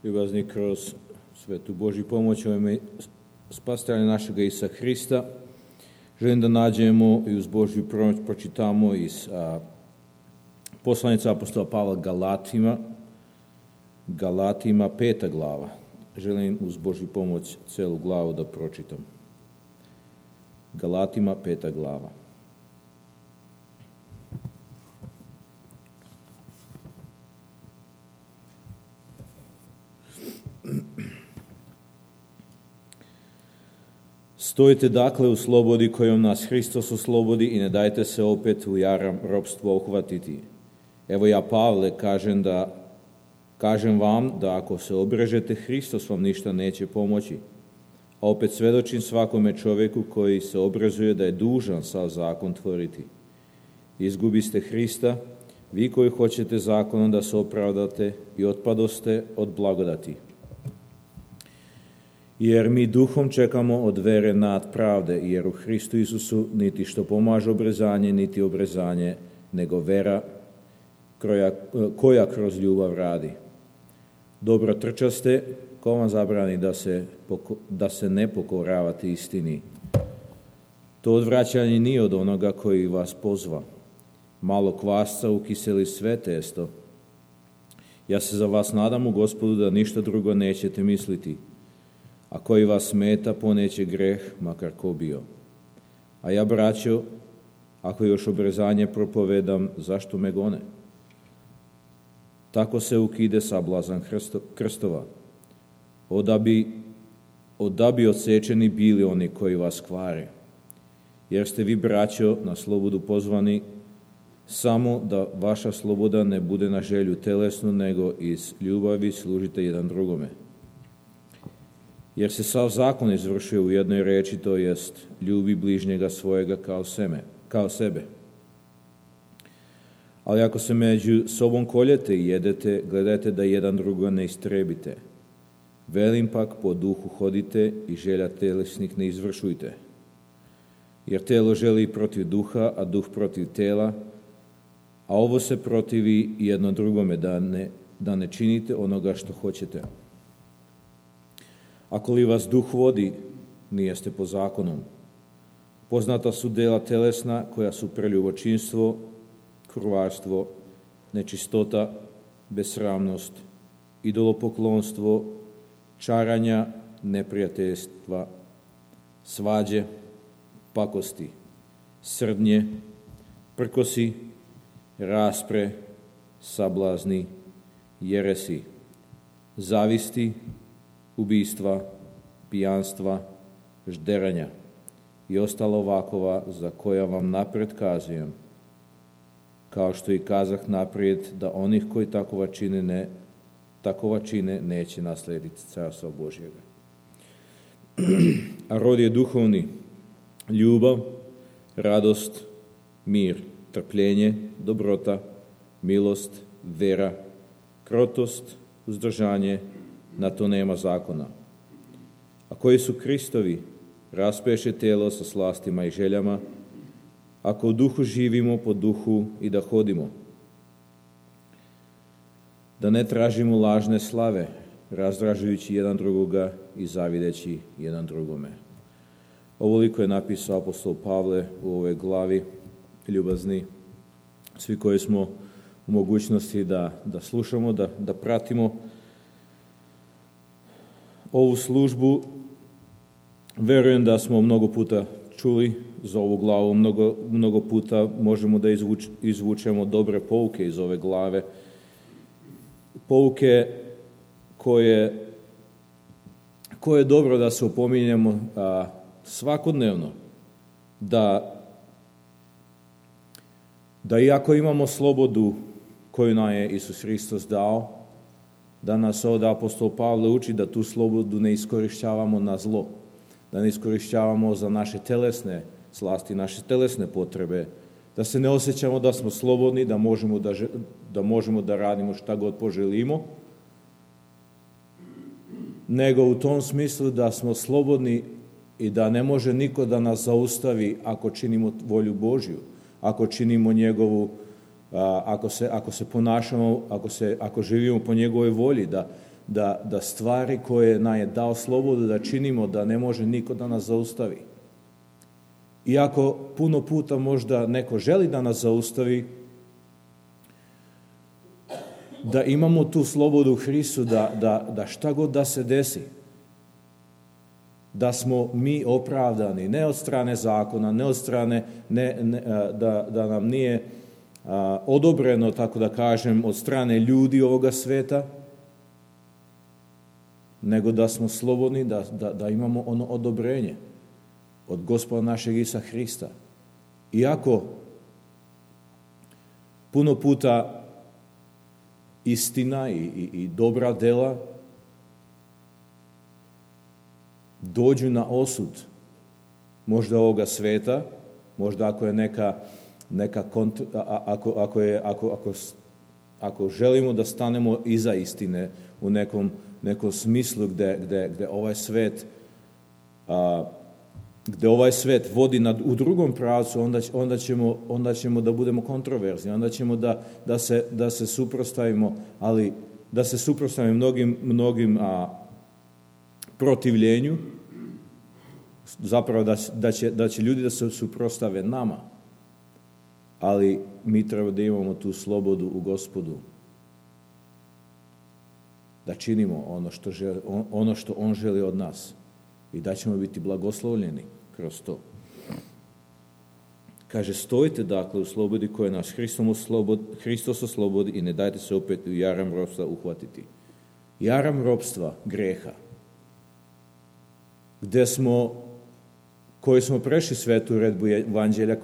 ljubazni kroz svetu Božju pomoć u ime spasitelja našega Isusa Hrista. Želim da nađemo i uz Božju pomoć pročitamo iz poslanica apostola Pavla Galatima 5. glava. Želim uz Božju pomoć celu glavu da pročitam. Galatima 5. glava. Stojite dakle u slobodi kojom nas Hristos oslobodi i ne dajte se opet u jaram ropstvo uhvatiti. Evo ja, Pavle, kažem vam da ako se obrežete, Hristos vam ništa neće pomoći. A opet svedočim svakome čovjeku koji se obrazuje da je dužan sav zakon tvoriti. Izgubiste Hrista, vi koji hoćete zakonom da se opravdate i otpadoste od blagodati. Jer mi duhom čekamo od vere nad pravde, jer u Hristu Isusu niti što pomaže obrezanje, niti obrezanje, nego vera koja kroz ljubav radi. Dobro trčaste, ko vam zabrani da se ne pokoravate istini. To odvraćanje nije od onoga koji vas pozva. Malo kvasca ukiseli sve testo. Ja se za vas nadam u Gospodu da ništa drugo nećete misliti. A koji vas smeta, poneće greh, makar ko bio. A ja, braćo, ako još obrezanje propovedam, zašto me gone? Tako se ukide sablazan krstova. Da bi odsečeni bili oni koji vas kvare. Jer ste vi, braćo, na slobodu pozvani, samo da vaša sloboda ne bude na želju telesnu, nego iz ljubavi služite jedan drugome. Jer se sav zakon izvršuje u jednoj reči, to jest ljubi bližnjega svojega kao sebe. Ali ako se među sobom koljete i jedete, gledajte da jedan drugo ne istrebite. Velim pak, po duhu hodite i želja telesnih ne izvršujte. Jer telo želi protiv duha, a duh protiv tela, a ovo se protivi jedno drugome, da ne činite onoga što hoćete. Ako li vas duh vodi, nijeste po zakonom. Poznata su dela telesna koja su preljubočinstvo, krvarstvo, nečistota, besramnost, idolopoklonstvo, čaranja, neprijateljstva, svađe, pakosti, srdnje, prkosi, raspre, sablazni, jeresi, zavisti, ubistva, pijanstva, žderanja i ostalo ovakova za koja vam napred kazujem, kao što i kazah naprijed da onih koji takova čine neće naslediti carstva Božjega. A rod je duhovni: ljubav, radost, mir, trpljenje, dobrota, milost, vera, krotost, uzdržanje. Na to nema zakona. A koji su Kristovi, raspeše telo sa slastima i željama, ako u duhu živimo, po duhu i da hodimo. Da ne tražimo lažne slave, razdražujući jedan drugoga i zavideći jedan drugome. Ovoliko je napisao apostol Pavle u ovoj glavi. Ljubazni, svi koji smo u mogućnosti da slušamo, da pratimo ovu službu, verujem da smo mnogo puta čuli za ovu glavu, mnogo puta možemo da izvučemo dobre pouke iz ove glave. Pouke koje je dobro da se opominjemo svakodnevno, da iako imamo slobodu koju nam je Isus Hristos dao, da nas ovdje apostol Pavle uči da tu slobodu ne iskorištavamo na zlo, da ne iskorištavamo za naše telesne slasti, naše telesne potrebe, da se ne osjećamo da smo slobodni, da možemo da radimo šta god poželimo, nego u tom smislu da smo slobodni i da ne može niko da nas zaustavi ako činimo volju Božju, ako činimo ako se ponašamo, ako živimo po njegovoj volji, da stvari koje nam je dao slobodu da činimo, da ne može niko da nas zaustavi. Iako puno puta možda neko želi da nas zaustavi, da imamo tu slobodu u Hristu, da šta god da se desi, da smo mi opravdani, ne od strane zakona, ne od strane, da nam nije odobreno, tako da kažem, od strane ljudi ovoga sveta, nego da smo slobodni, da imamo ono odobrenje od Gospoda našeg Isusa Hrista. Iako puno puta istina i dobra dela dođu na osud možda ovoga sveta, možda ako je ako želimo da stanemo iza istine u nekom smislu gde ovaj svet vodi u drugom pravcu, onda ćemo da budemo kontroverzni, onda ćemo da se suprotstavimo, ali da se suprotstavimo mnogim protivljenju, zapravo da će ljudi da se suprotstave nama, ali mi treba da imamo tu slobodu u Gospodu, da činimo ono što On želi od nas i da ćemo biti blagoslovljeni kroz to. Kaže, stojite dakle u slobodi koja nas Hristos oslobodi i ne dajte se opet u jaram ropstva uhvatiti. Jaram ropstva, greha, koji smo prešli svetu uredbu evanđelja,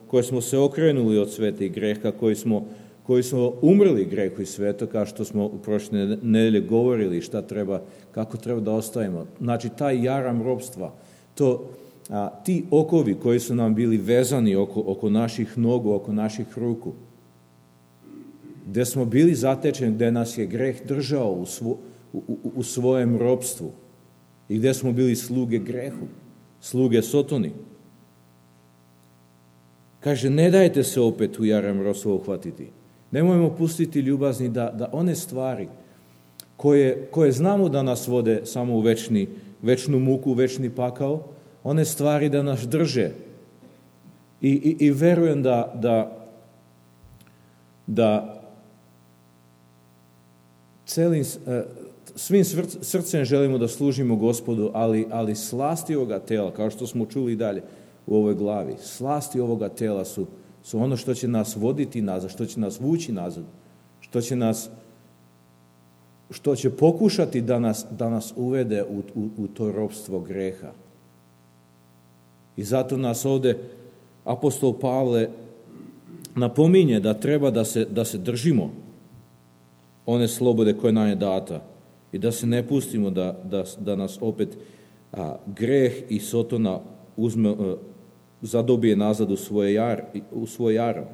koji smo se okrenuli od sveta i greha, koji smo umrli grehu i svetu, kao što smo u prošle nedelje govorili kako treba da ostavimo. Znači, taj jaram ropstva, ti okovi koji su nam bili vezani oko naših nogu, oko naših ruku, gde smo bili zatečeni, gde nas je greh držao u svojem ropstvu i gde smo bili sluge grehu, sluge Sotoni. Kaže, ne dajte se opet u jaram ropstva uhvatiti. Nemojmo pustiti ljubazni da one stvari koje znamo da nas vode samo u večnu muku, večni pakao, one stvari da nas drže. I verujem da svim srcem želimo da služimo Gospodu, ali slasti ovoga tela, kao što smo čuli dalje u ovoj glavi, slasti ovoga tela su ono što će nas voditi nazad, što će nas vući nazad, što će pokušati da nas uvede u to ropstvo greha. I zato nas ovde apostol Pavle napominje da treba da se držimo one slobode koje nam je data i da se ne pustimo da nas opet greh i Sotona zadobije nazad u svoj jaram.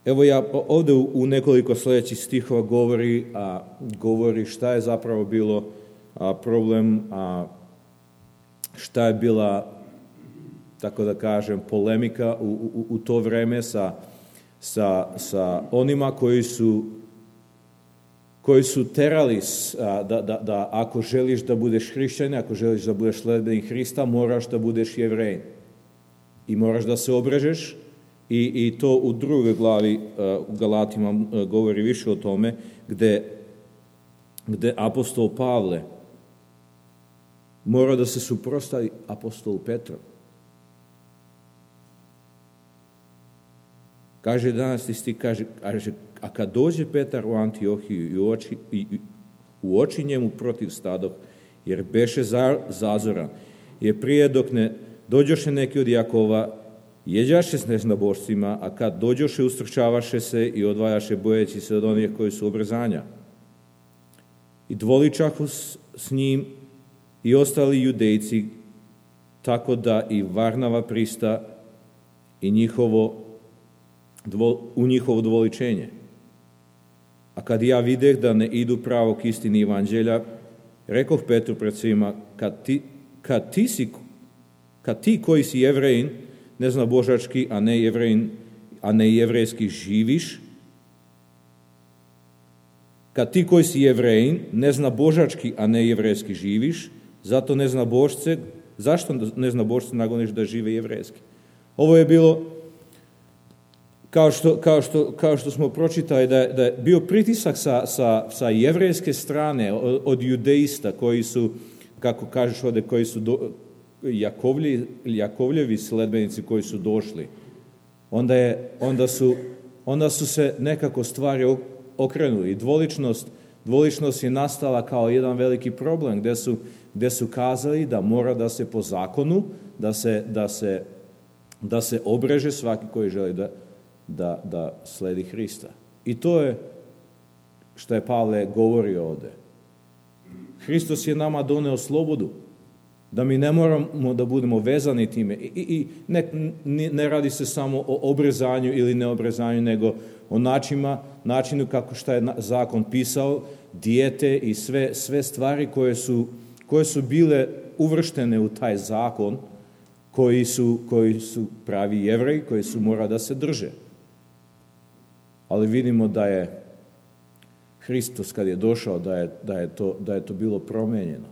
Evo ja ovde u nekoliko sljedećih stihova govori šta je zapravo bilo problem, šta je bila, tako da kažem, polemika u to vreme sa onima koji su terali da ako želiš da budeš hrišćanin, ako želiš da budeš sledbenik Hrista, moraš da budeš Jevrejin. I moraš da se obrežeš i to u drugoj glavi u Galatima govori više o tome, gde apostol Pavle mora da se suprotstavi apostolu Petru. Kaže danas ti kaže, a kad dođe Petar u Antiohiju i u oči njemu protiv stadoh, jer beše zazoran, jer prije dok ne dođoše neki od Jakova, jeđaše s neznabošcima, a kad dođoše ustrčavaše se i odvajaše bojeći se od onih koji su obrezanja. I dvoličahu s njim i ostali judejci, tako da i Varnava prista i u njihovo dvoličenje. A kad ja videh da ne idu pravo k istini evanđelja, rekoh Petru pred svima, kad ti koji si Jevrejin, ne zna božački, a ne jevrejski živiš, Kad ti koji si Jevrejin, neznabožački, a ne jevrejski živiš, zato neznabožce, zašto neznabožce nagoniš da žive jevrejski? Ovo je bilo, kao što smo pročitali, da je bio pritisak sa jevrejske strane od judeista koji su, kako kažeš ovdje, koji su Jakovljevi sledbenici koji su došli. Onda su se nekako stvari okrenuli. Dvoličnost je nastala kao jedan veliki problem gdje su kazali da mora da se po zakonu, da se obreže svaki koji želi da sledi Hrista. I to je što je Pavle govorio ovdje. Hristos je nama doneo slobodu, da mi ne moramo da budemo vezani time. I ne radi se samo o obrezanju ili neobrezanju, nego o načinu kako što je zakon pisao, dijete i sve stvari koje su bile uvrštene u taj zakon, koji su pravi Jevreji, koji su mora da se drže. Ali vidimo da je Hristos kad je došao, da je to bilo promijenjeno.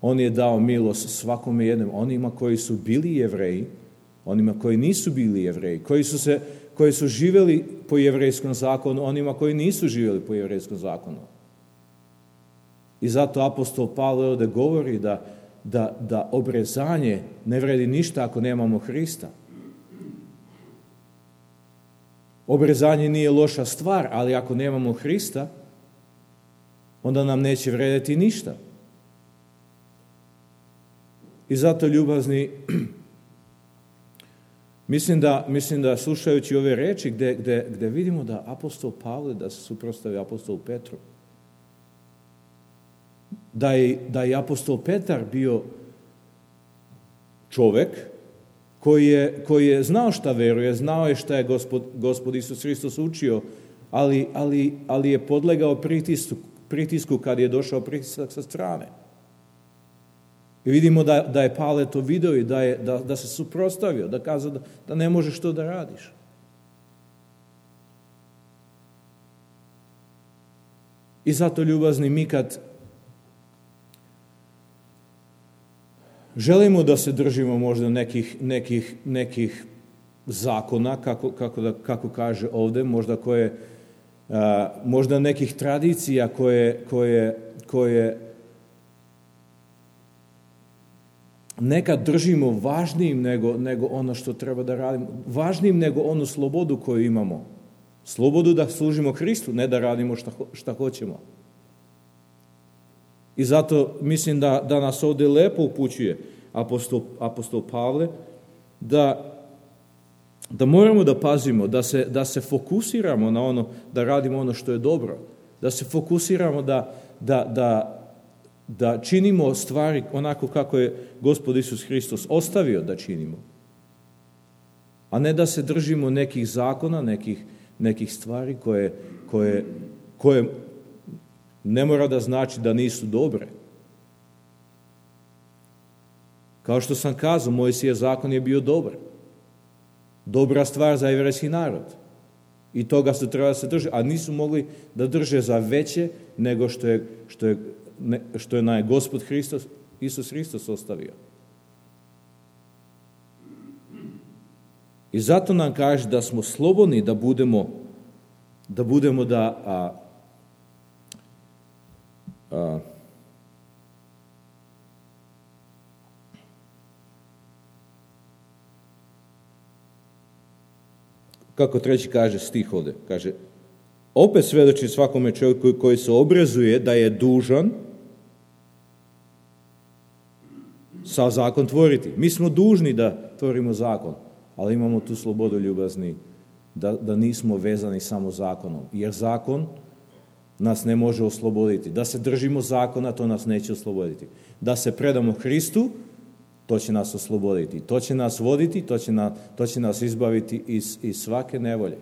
On je dao milost svakome jednom, onima koji su bili Jevreji, onima koji nisu bili Jevreji, koji su živjeli po jevrejskom zakonu, onima koji nisu živjeli po jevrejskom zakonu. I zato apostol Pavle ovdje govori da obrezanje ne vredi ništa ako nemamo Hrista. Obrezanje nije loša stvar, ali ako nemamo Hrista, onda nam neće vrediti ništa. I zato, ljubazni, mislim da slušajući ove reči gdje vidimo da apostol Pavle, da se suprotstavi apostolu Petru, da je apostol Petar bio čovjek koji je znao šta veruje, znao je šta je Gospod Isus Hristos učio, ali je podlegao pritisku kad je došao pritisak sa strane. I vidimo da je Pavle to vidio i da se suprotstavio, da kazao da ne možeš to da radiš. I zato, ljubazni, mi kad želimo da se držimo možda nekih zakona, kako kaže ovdje, možda nekih tradicija koje nekad držimo važnijim nego ono što treba da radimo, važnijim nego onu slobodu koju imamo. Slobodu da služimo Hristu, ne da radimo šta hoćemo. I zato mislim da nas ovdje lepo upućuje apostol Pavle da moramo da pazimo, da se fokusiramo na ono, da radimo ono što je dobro, da se fokusiramo da činimo stvari onako kako je Gospod Isus Hristos ostavio da činimo. A ne da se držimo nekih zakona, nekih stvari koje ne mora da znači da nisu dobre. Kao što sam kazao, Mojsijev zakon je bio dobar. Dobra stvar za jevrejski narod. I toga su trebali da se drže, a nisu mogli da drže za veće nego što je na Gospod Isus Hristos ostavio. I zato nam kaže da smo slobodni da budemo kako treći kaže stih ovdje, kaže, opet svedoči svakome čovjeku koji se obrazuje da je dužan sa zakon tvoriti. Mi smo dužni da tvorimo zakon, ali imamo tu slobodu, ljubazni, da nismo vezani samo zakonom. Jer zakon nas ne može osloboditi. Da se držimo zakona, to nas neće osloboditi. Da se predamo Hristu, to će nas osloboditi. To će nas voditi, to će nas izbaviti iz svake nevolje.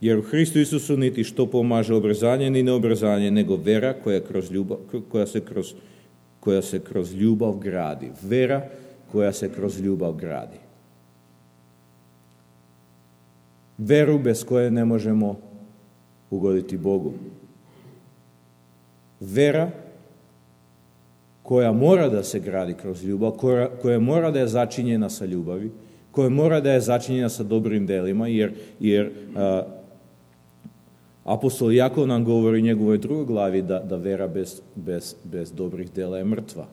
Jer u Hristu Isusu niti što pomaže obrezanje, ni neobrezanje, nego vera koja se kroz ljubav gradi. Vera koja se kroz ljubav gradi. Veru bez koje ne možemo ugoditi Bogu. Vera koja mora da se gradi kroz ljubav, koja mora da je začinjena sa ljubavi, koja mora da je začinjena sa dobrim delima, jer apostol Jakov nam govori u njegovoj drugoj glavi da vera bez dobrih dela je mrtva.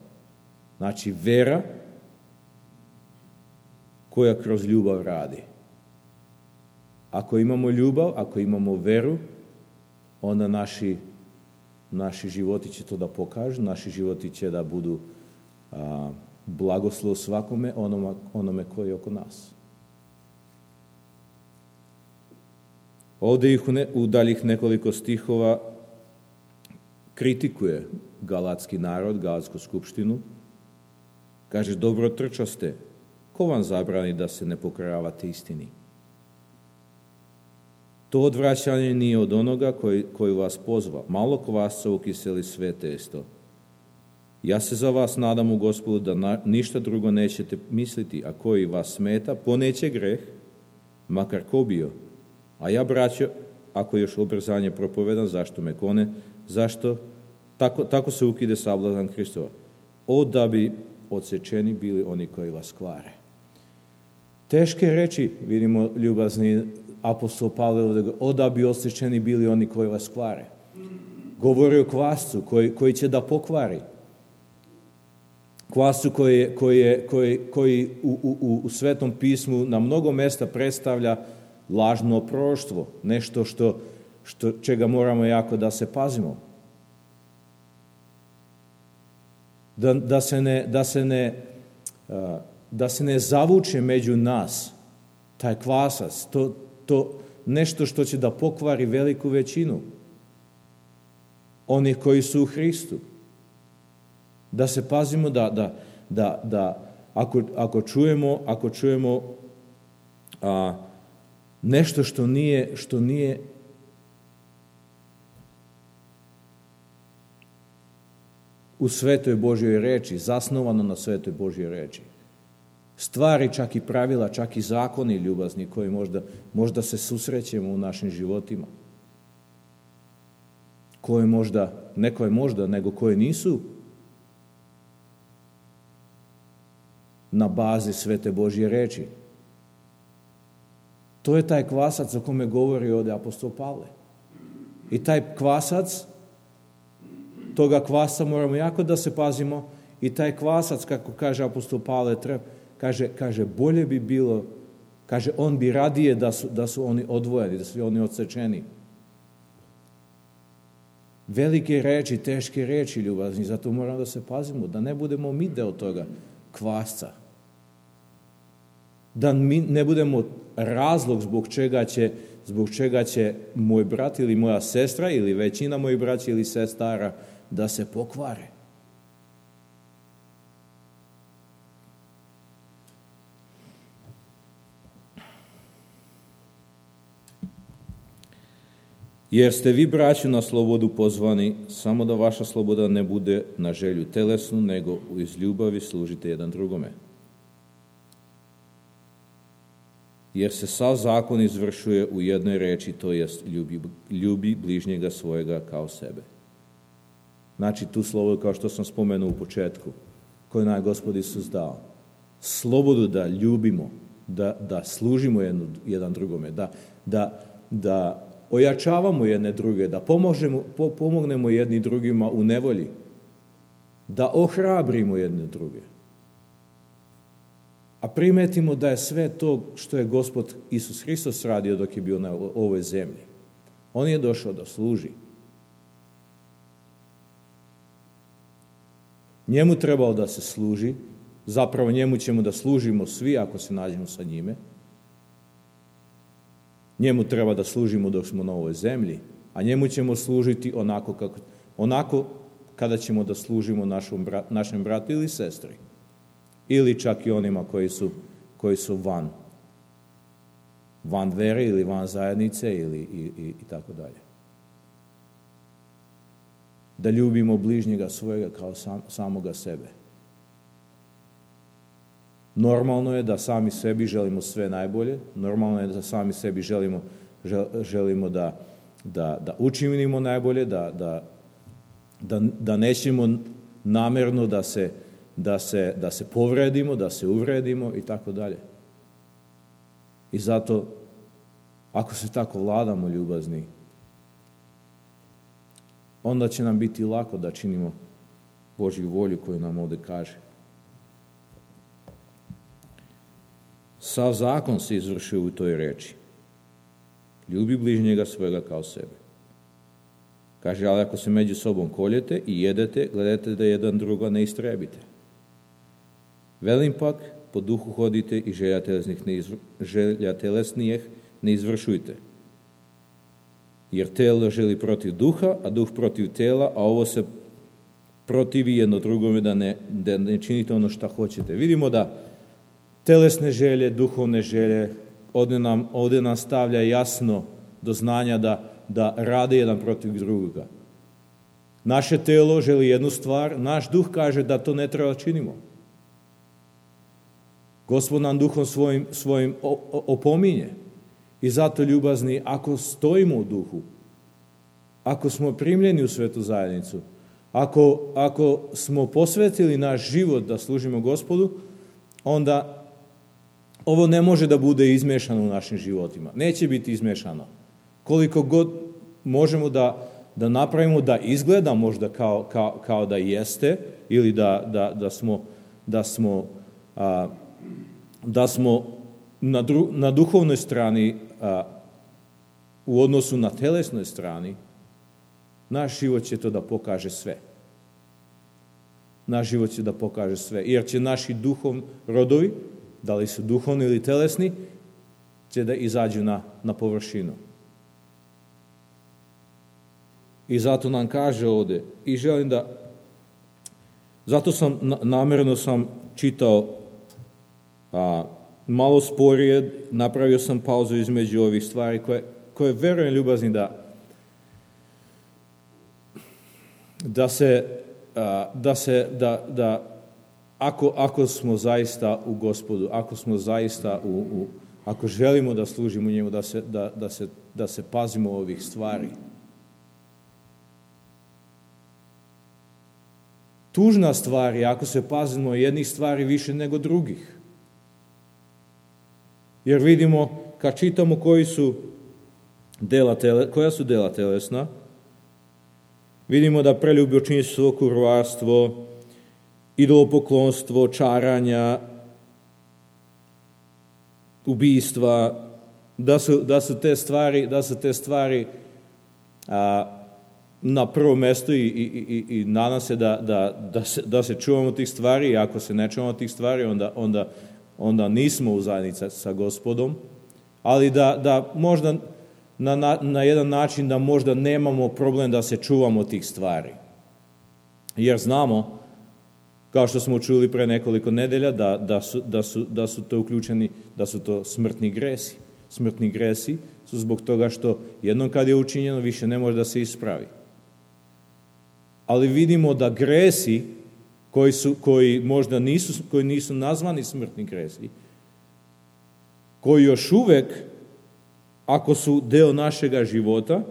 Znači, vera koja kroz ljubav radi. Ako imamo ljubav, ako imamo veru, onda naši životi će to da pokažu, naši životi će da budu blagoslov svakome onome koji je oko nas. Ovdje ih u daljih nekoliko stihova kritikuje galatski narod, galatsku skupštinu. Kaže, dobro trčaste, ko vam zabrani da se ne pokoravate istini? To odvraćanje nije od onoga koji vas pozva. Malo kvasca ukiseli sve testo. Ja se za vas nadam u Gospodu da ništa drugo nećete misliti, a koji vas smeta, poneće greh, makar ko bio. A ja, braćo, ako još obrzanje propovedam, zašto me kone? Zašto? Tako se ukide sablazan Hristova. Da bi odsečeni bili oni koji vas kvare. Teške reči, vidimo ljubazni apostol Pavle, da bi odsečeni bili oni koji vas kvare. Govori o kvascu koji će da pokvari. Kvascu koji u Svetom pismu na mnogo mesta predstavlja lažno proroštvo, nešto čega moramo jako da se pazimo. Da se ne zavuče među nas taj kvasac, to nešto što će da pokvari veliku većinu onih koji su u Hristu. Da se pazimo da ako čujemo nešto što nije u Svetoj Božjoj reči, zasnovano na Svetoj Božjoj reči. Stvari, čak i pravila, čak i zakoni ljubazni koji možda se susrećemo u našim životima. Nego koje nisu na bazi Svete Božje reči. To je taj kvasac o kome govori ovdje apostol Pavle. I taj kvasac, toga kvasa moramo jako da se pazimo, i taj kvasac, kako kaže apostol Pavle, kaže bolje bi bilo, kaže on bi radije da su oni odvojeni, da su oni odsečeni. Velike reči, teške reči ljubazni, zato moramo da se pazimo, da ne budemo mi deo toga kvasca. Da mi ne budemo razlog zbog čega će moj brat ili moja sestra ili većina mojih braća ili sestara da se pokvare. Jer ste vi, braćo, na slobodu pozvani, samo da vaša sloboda ne bude na želju telesnu, nego iz ljubavi služite jedan drugome. Jer se sav zakon izvršuje u jednoj reči, to jest ljubi bližnjega svojega kao sebe. Znači, tu slobodu, kao što sam spomenuo u početku, koju nam je Gospod Isus dao. Slobodu da ljubimo, da služimo jedan drugome, da ojačavamo jedne druge, da pomognemo jedni drugima u nevolji, da ohrabrimo jedne druge. A primetimo da je sve to što je Gospod Isus Hristos radio dok je bio na ovoj zemlji. On je došao da služi. Njemu trebao da se služi, zapravo njemu ćemo da služimo svi ako se nađemo sa njime. Njemu treba da služimo dok smo na ovoj zemlji, a njemu ćemo služiti onako kada ćemo da služimo našem bratu ili sestri. Ili čak i onima koji su van vere ili van zajednice i tako dalje. Da ljubimo bližnjega svojega kao samoga sebe. Normalno je da sami sebi želimo sve najbolje, normalno je da sami sebi želimo da učinimo najbolje, da nećemo namerno da se povredimo, da se uvredimo i tako dalje. I zato, ako se tako vladamo ljubazni, onda će nam biti lako da činimo Božju volju koju nam ovdje kaže. Sav zakon se izvršio u toj reči. Ljubi bližnjega svojega kao sebe. Kaže, ali ako se među sobom koljete i jedete, gledajte da jedan druga ne istrebite. Velim pak, po duhu hodite i želja telesnijih ne izvršujte. Jer telo želi protiv duha, a duh protiv tela, a ovo se protivi jedno drugome da ne činite ono što hoćete. Vidimo da telesne želje, duhovne želje, ovdje nam stavlja jasno do znanja da rade jedan protiv drugoga. Naše telo želi jednu stvar, naš duh kaže da to ne treba činimo. Gospod nam duhom svojim opominje. I zato, ljubazni, ako stojimo u duhu, ako smo primljeni u svetu zajednicu, ako smo posvetili naš život da služimo Gospodu, onda ovo ne može da bude izmešano u našim životima. Neće biti izmešano. Koliko god možemo da napravimo da izgleda možda kao da jeste, ili da smo na duhovnoj strani u odnosu na telesnoj strani, naš život će to da pokaže sve. Naš život će da pokaže sve. Jer će naši rodovi, da li su duhovni ili telesni, će da izađu na površinu. I zato nam kaže ovdje, i želim zato namjerno sam čitao malo sporije, napravio sam pauzu između ovih stvari koje verujem, ljubazni, da ako smo zaista u Gospodu, ako smo zaista ako želimo da služimo njemu, da se pazimo ovih stvari. Tužna stvar je ako se pazimo jednih stvari više nego drugih. Jer vidimo, kad čitamo koja su dela telesna, vidimo da preljubočinstvo, kurvarstvo, idolopoklonstvo, čaranja, ubijstva, da su te stvari na prvo mjesto i nadam se da se čuvamo tih stvari, i ako se ne čuvamo tih stvari, onda nismo u zajednici sa Gospodom, ali da možda na jedan način da možda nemamo problem da se čuvamo tih stvari. Jer znamo, kao što smo čuli pre nekoliko nedelja, da su to uključeni, da su to smrtni gresi. Smrtni gresi su zbog toga što jednom kad je učinjeno više ne može da se ispravi. Ali vidimo da gresi koji možda nisu nazvani smrtni gresi, koji još uvek, ako su deo našega života,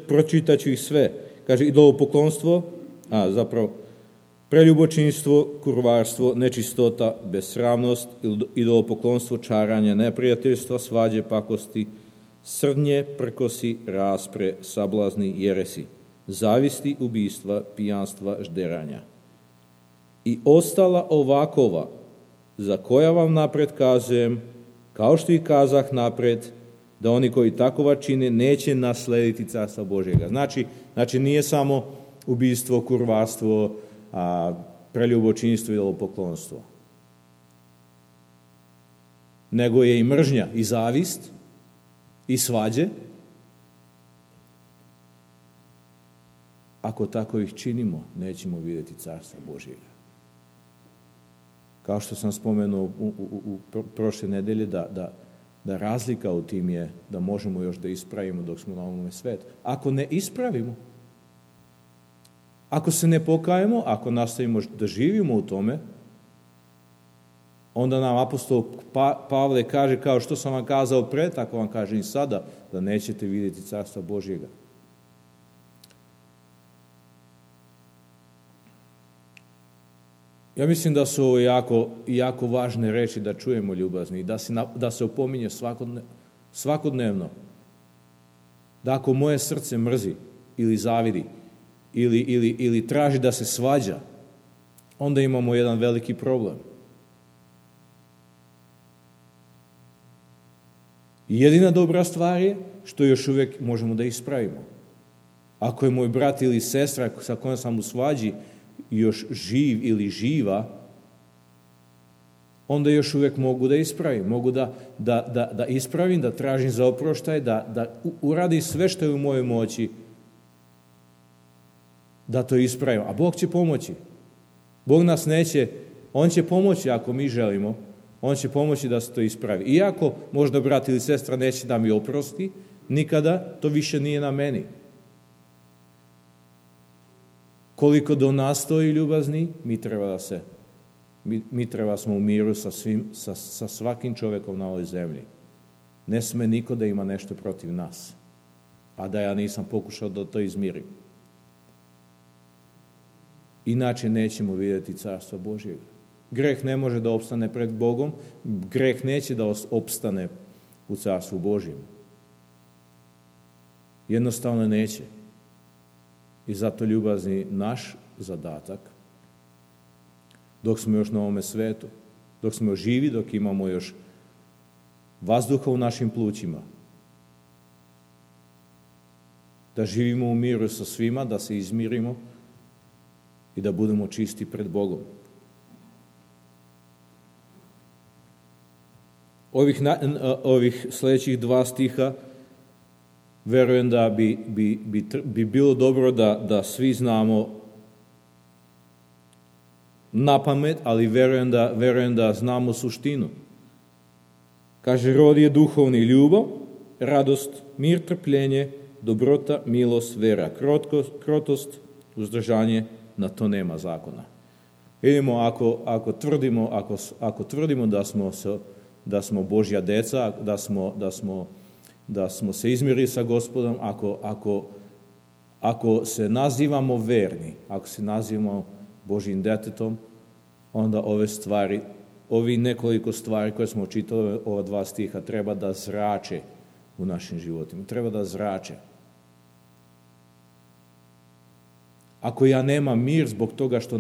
pročitat ću ih sve. Kaže, idolopoklonstvo, preljubočinstvo, kurvarstvo, nečistota, besramnost, idolopoklonstvo, čaranje, neprijateljstva, svađe, pakosti, srdnje, prkosi, raspre, sablazni, jeresi, zavisti, ubijstva, pijanstva, žderanja. I ostala ovakova, za koja vam napred kazujem, kao što i kazah napred, da oni koji takova čine neće naslediti carstva Božjega. Znači nije samo ubijstvo, kurvarstvo, preljubočinstvo i idolopoklonstvo. Nego je i mržnja, i zavist, i svađe. Ako tako ih činimo, nećemo vidjeti carstva Božjega. Kao što sam spomenuo u prošle nedelje, da razlika u tim je da možemo još da ispravimo dok smo na ovome svetu. Ako ne ispravimo, Ako se ne pokajemo, ako nastavimo da živimo u tome, onda nam apostol Pavle kaže, kao što sam vam kazao pre, tako vam kažem i sada, da nećete vidjeti carstva Božjega. Ja mislim da su ovo jako važne reči da čujemo, ljubazni, da se opominje svakodnevno. Da ako moje srce mrzi ili zavidi ili traži da se svađa, onda imamo jedan veliki problem. Jedina dobra stvar je što još uvijek možemo da ispravimo. Ako je moj brat ili sestra sa kojom sam u svađi još živ ili živa, onda još uvijek mogu da ispravim. Mogu da ispravim, da tražim za oproštaj, da uradim sve što je u mojoj moći da to ispravimo. A Bog će pomoći. Bog nas neće, On će pomoći ako mi želimo, On će pomoći da se to ispravi. Iako možda brat ili sestra neće da mi oprosti, nikada to više nije na meni. Koliko do nas stoji, ljubazni, mi treba smo u miru sa svakim čovjekom na ovoj zemlji. Ne sme niko da ima nešto protiv nas, a da ja nisam pokušao da to izmirim. Inače nećemo vidjeti carstva Božjega. Greh ne može da opstane pred Bogom, greh neće da opstane u carstvu Božjem. Jednostavno neće. I zato, ljubazni, naš zadatak, dok smo još na ovome svetu, dok smo živi, dok imamo još vazduha u našim plućima, da živimo u miru sa svima, da se izmirimo i da budemo čisti pred Bogom. Ovih sljedećih 2 stiha verujem da bi bilo dobro da svi znamo na pamet, ali verujem da znamo suštinu. Kaže, rod je duhovni: ljubav, radost, mir, trpljenje, dobrota, milost, vera, krotost, uzdržanje, na to nema zakona. Vidimo, ako tvrdimo da smo Božja deca, da smo se izmirili sa Gospodom, ako se nazivamo verni, ako se nazivamo Božjim detetom, onda ovi nekoliko stvari koje smo čitali, ova 2 stiha, treba da zrače u našim životima. Treba da zrače. Ako ja nemam mir zbog toga što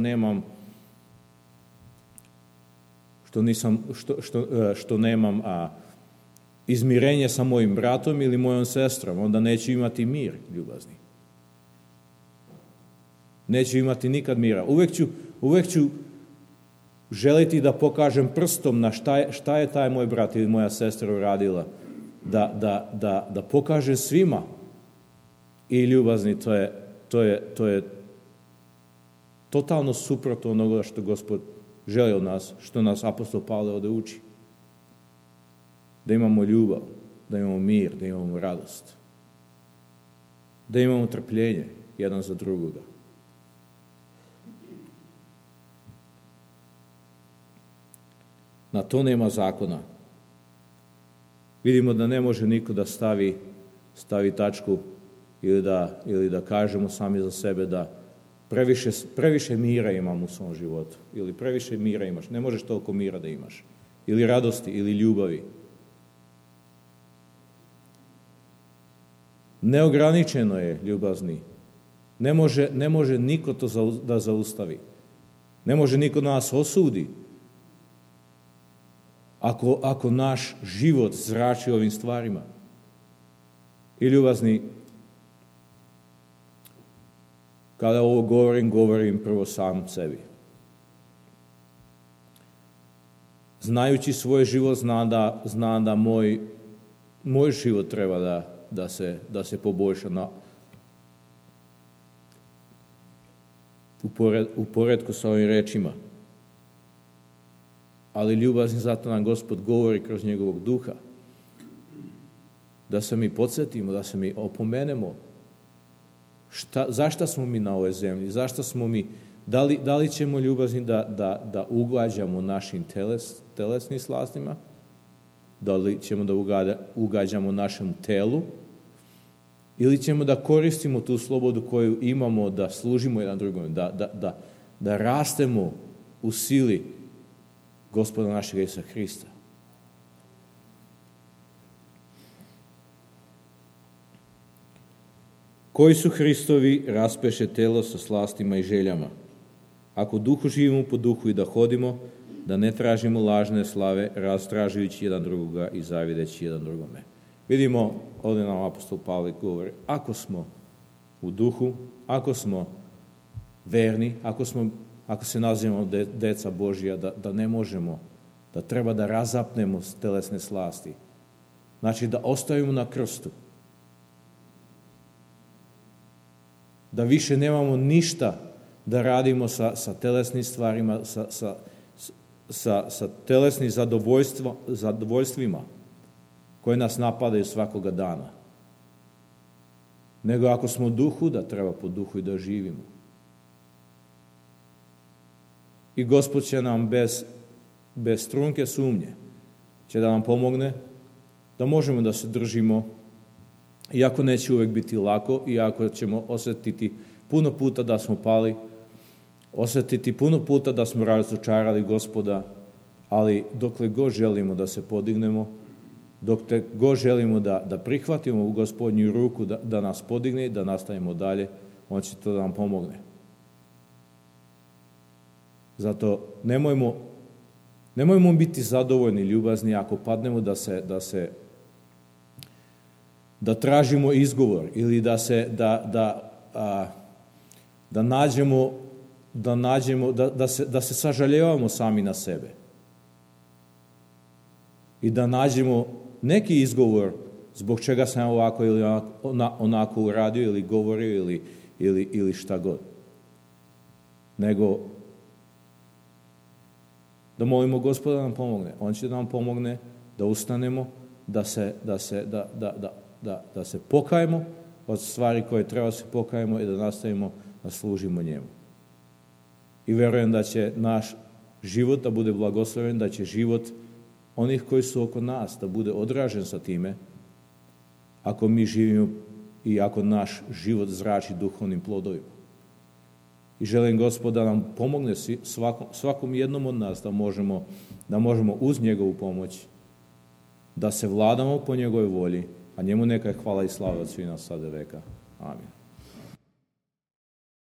nemam izmirenje sa mojim bratom ili mojom sestrom, onda neću imati mir, ljubazni. Neću imati nikad mira. Uvijek ću želiti da pokažem prstom na šta je taj moj brat ili moja sestra uradila. Da pokažem svima. I, ljubazni, to je totalno suprotno onoga što Gospod želi od nas, što nas apostol Pavle ovdje uči. Da imamo ljubav, da imamo mir, da imamo radost, da imamo trpljenje jedan za drugoga. Na to nema zakona. Vidimo da ne može niko da stavi tačku ili da kažemo sami za sebe da previše mira imam u svom životu, ili previše mira imaš. Ne možeš toliko mira da imaš, ili radosti, ili ljubavi. Neograničeno je, ljubazni. Ne može niko to da zaustavi. Ne može niko nas osudi. Ako naš život zrači ovim stvarima. I, ljubazni, kada ovo govorim prvo sam sebi. Znajući svoj život, znam da moj život treba da se poboljša u poredku sa ovim rečima. Ali, ljubazni, zato nam Gospod govori kroz njegovog duha. Da se mi podsjetimo, da se mi opomenemo Zašto smo mi na ovoj zemlji? Zašto smo mi? Da li ćemo ljubazni da ugađamo našim telesnim slastima? Da li ćemo da ugađamo našem telu? Ili ćemo da koristimo tu slobodu koju imamo da služimo jedan drugom, da rastemo u sili Gospoda našeg Isusa Hrista? Koji su Hristovi raspeše telo sa slastima i željama. Ako duhu živimo po duhu i da hodimo, da ne tražimo lažne slave, rastražujući jedan drugoga i zavideći jedan drugome. Vidimo, ovdje nam apostol Pavle govori, ako smo u duhu, ako smo verni, ako se nazivamo deca Božja, da ne možemo, da treba da razapnemo telesne slasti. Znači da ostavimo na krstu. Da više nemamo ništa da radimo sa telesnim stvarima, sa telesnim zadovoljstvima koje nas napadaju svakoga dana. Nego ako smo u duhu, da treba po duhu i da živimo. I Gospod će nam bez trunke sumnje će da nam pomogne da možemo da se držimo, iako neće uvek biti lako, iako ćemo osjetiti puno puta da smo pali, osjetiti puno puta da smo razočarali Gospoda, ali dokle god želimo da se podignemo, dokle god želimo da prihvatimo u Gospodnju ruku, da nas podigne i da nastavimo dalje, on će to da nam pomogne. Zato nemojmo biti zadovoljni, ljubazni, ako padnemo da tražimo izgovor ili da se sažaljevamo sami na sebe. I da nađemo neki izgovor zbog čega sam ovako ili onako uradio ili govorio ili šta god. Nego da molimo Gospoda da nam pomogne. On će da nam pomogne da ustanemo, da se pokajemo od stvari koje treba da se pokajemo i da nastavimo da služimo njemu. I verujem da će naš život da bude blagosloven, da će život onih koji su oko nas da bude odražen sa time, ako mi živimo i ako naš život zrači duhovnim plodovima. I želim Gospod da nam pomogne svakom jednom od nas da možemo uz njegovu pomoć da se vladamo po njegovoj volji, a njemu neka je hvala i slava od svih nas sada veka. Amin.